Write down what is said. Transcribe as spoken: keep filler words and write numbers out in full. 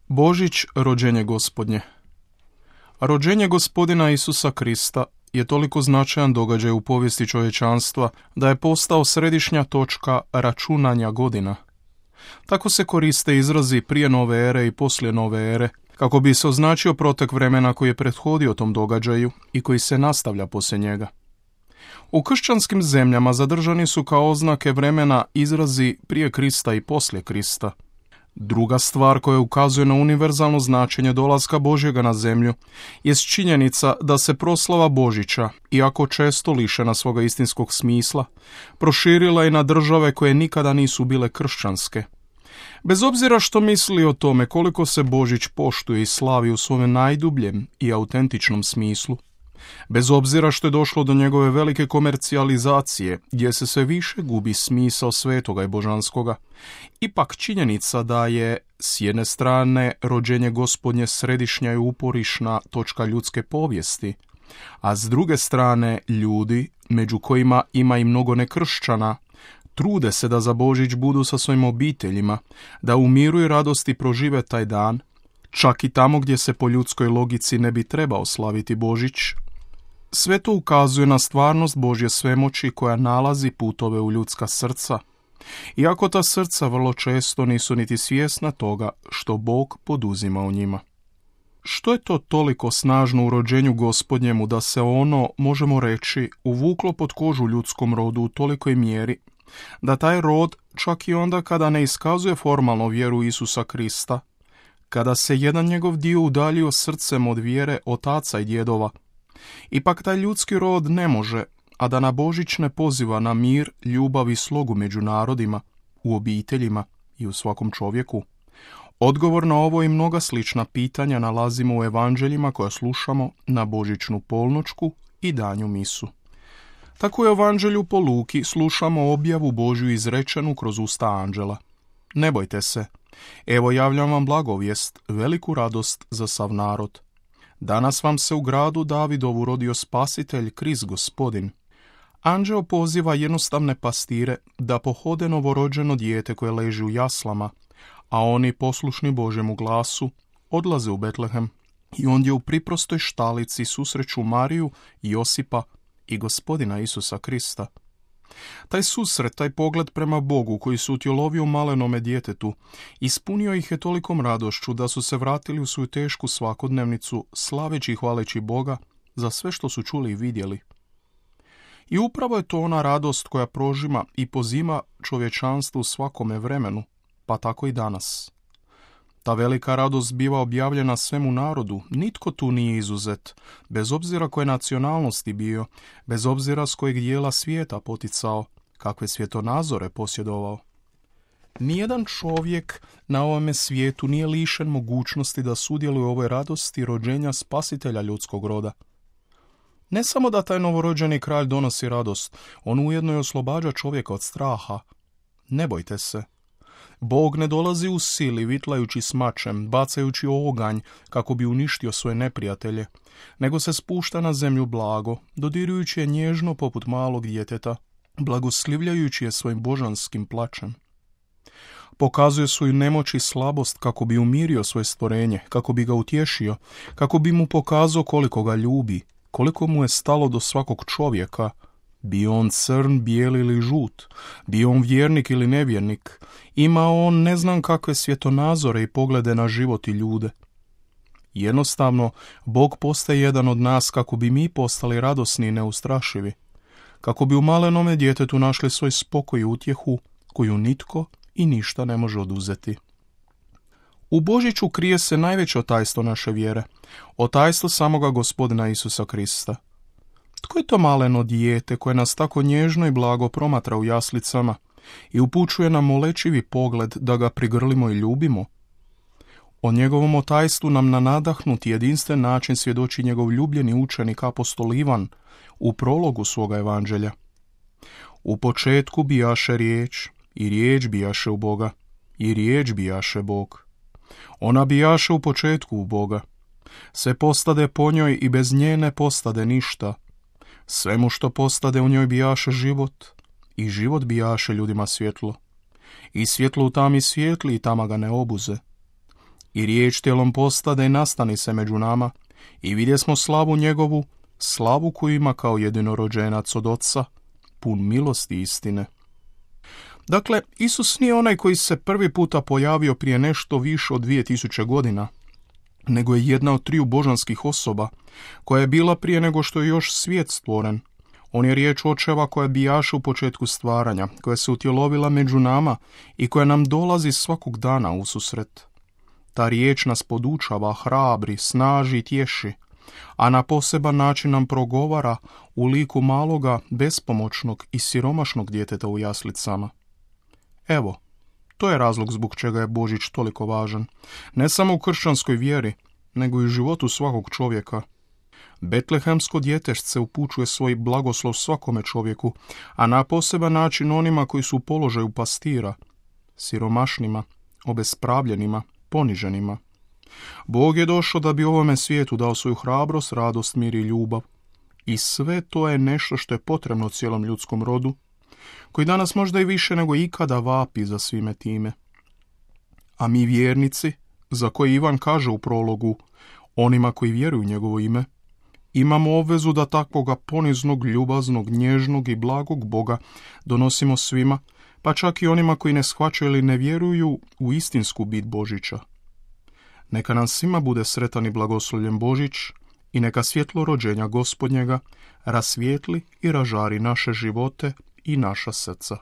Božić, rođenje Gospodnje. Rođenje Gospodina Isusa Krista je toliko značajan događaj u povijesti čovječanstva da je postao središnja točka računanja godina. Tako se koriste izrazi prije nove ere i poslije nove ere, kako bi se označio protek vremena koji je prethodio tom događaju i koji se nastavlja poslije njega. U kršćanskim zemljama zadržani su kao oznake vremena izrazi prije Krista i poslije Krista. Druga stvar koja ukazuje na univerzalno značenje dolaska Božjega na zemlju jest činjenica da se proslava Božića, iako često lišena svoga istinskog smisla, proširila i na države koje nikada nisu bile kršćanske. Bez obzira što misli o tome koliko se Božić poštuje i slavi u svome najdubljem i autentičnom smislu, bez obzira što je došlo do njegove velike komercijalizacije, gdje se sve više gubi smisao svetoga i božanskoga, ipak činjenica da je, s jedne strane, rođenje Gospodnje središnja i uporišna točka ljudske povijesti, a s druge strane, ljudi, među kojima ima i mnogo nekršćana, trude se da za Božić budu sa svojim obiteljima, da u miru i radosti prožive taj dan, čak i tamo gdje se po ljudskoj logici ne bi trebao slaviti Božić. Sve to ukazuje na stvarnost Božje svemoći koja nalazi putove u ljudska srca, iako ta srca vrlo često nisu niti svjesna toga što Bog poduzima u njima. Što je to toliko snažno u rođenju Gospodnjemu da se ono, možemo reći, uvuklo pod kožu ljudskom rodu u tolikoj mjeri, da taj rod, čak i onda kada ne iskazuje formalno vjeru Isusa Krista, kada se jedan njegov dio udaljio srcem od vjere otaca i djedova, ipak taj ljudski rod ne može, a da na Božić ne poziva na mir, ljubav i slogu među narodima, u obiteljima i u svakom čovjeku. Odgovor na ovo i mnoga slična pitanja nalazimo u evanđeljima koja slušamo na božićnu polnoćku i danju misu. Tako u evanđelju po Luki slušamo objavu Božju izrečenu kroz usta anđela. Ne bojte se, evo javljam vam blagovijest, veliku radost za sav narod. Danas vam se u gradu Davidovu rodio spasitelj, Krist Gospodin. Anđeo poziva jednostavne pastire da pohode novorođeno dijete koje leži u jaslama, a oni, poslušni Božjemu glasu, odlaze u Betlehem i ondje u priprostoj štalici susreću Mariju, Josipa i Gospodina Isusa Krista. Taj susret, taj pogled prema Bogu koji se utjelovio u malenome djetetu, ispunio ih je tolikom radošću da su se vratili u svoju tešku svakodnevnicu, slaveći i hvaleći Boga za sve što su čuli i vidjeli. I upravo je to ona radost koja prožima i pozima čovječanstvo u svakome vremenu, pa tako i danas. Ta velika radost biva objavljena svemu narodu, nitko tu nije izuzet, bez obzira koje nacionalnosti bio, bez obzira s kojeg dijela svijeta poticao, kakve svjetonazore posjedovao. Nijedan čovjek na ovome svijetu nije lišen mogućnosti da sudjeluje u ovoj radosti rođenja spasitelja ljudskog roda. Ne samo da taj novorođeni kralj donosi radost, on ujedno i oslobađa čovjeka od straha. Ne bojte se. Bog ne dolazi u sili, vitlajući s mačem, bacajući oganj kako bi uništio svoje neprijatelje, nego se spušta na zemlju blago, dodirujući je nježno poput malog djeteta, blagoslivljajući je svojim božanskim plačem. Pokazuje svoju nemoć i slabost kako bi umirio svoje stvorenje, kako bi ga utješio, kako bi mu pokazao koliko ga ljubi, koliko mu je stalo do svakog čovjeka, bio on crn, bijeli ili žut, bio on vjernik ili nevjernik, ima on ne znam kakve svjetonazore i poglede na život i ljude. Jednostavno, Bog postaje jedan od nas kako bi mi postali radosni i neustrašivi, kako bi u malenome djetetu našli svoj spokoj i utjehu koju nitko i ništa ne može oduzeti. U Božiću krije se najveće otajstvo naše vjere, otajstvo samoga Gospodina Isusa Krista. Tko je to maleno dijete koje nas tako nježno i blago promatra u jaslicama i upućuje nam molečivi pogled da ga prigrlimo i ljubimo? O njegovom otajstvu nam na nadahnuti jedinstven način svjedoči njegov ljubljeni učenik apostol Ivan u prologu svoga evanđelja. U početku bijaše riječ, i riječ bijaše u Boga, i riječ bijaše Bog. Ona bijaše u početku u Boga. Sve postade po njoj i bez nje ne postade ništa. Svemu što postade u njoj bijaše život, i život bijaše ljudima svjetlo. I svjetlo u tami svijetli i tama ga ne obuze. I riječ tijelom postade i nastani se među nama, i vidjesmo slavu njegovu, slavu koju ima kao jedinorođenac od Oca, pun milosti i istine. Dakle, Isus nije onaj koji se prvi puta pojavio prije nešto više od dvije tisuće godina, nego je jedna od triju božanskih osoba, koja je bila prije nego što je još svijet stvoren. On je riječ Očeva koja bijaše u početku stvaranja, koja se utjelovila među nama i koja nam dolazi svakog dana u susret. Ta riječ nas podučava, hrabri, snaži i tješi, a na poseban način nam progovara u liku maloga, bespomoćnog i siromašnog djeteta u jaslicama. Evo, to je razlog zbog čega je Božić toliko važan, ne samo u kršćanskoj vjeri, nego i u životu svakog čovjeka. Betlehemsko djetešce upućuje svoj blagoslov svakome čovjeku, a na poseban način onima koji su u položaju pastira, siromašnima, obespravljenima, poniženima. Bog je došao da bi ovome svijetu dao svoju hrabrost, radost, mir i ljubav. I sve to je nešto što je potrebno cijelom ljudskom rodu, koji danas možda i više nego ikada vapi za svime time. A mi vjernici, za koje Ivan kaže u prologu, onima koji vjeruju u njegovo ime, imamo obvezu da takvoga poniznog, ljubaznog, nježnog i blagog Boga donosimo svima, pa čak i onima koji ne shvaćaju ili ne vjeruju u istinsku bit Božića. Neka nam svima bude sretan i blagoslovljen Božić i neka svjetlo rođenja Gospodnjega rasvijetli i ražari naše živote i naša srca.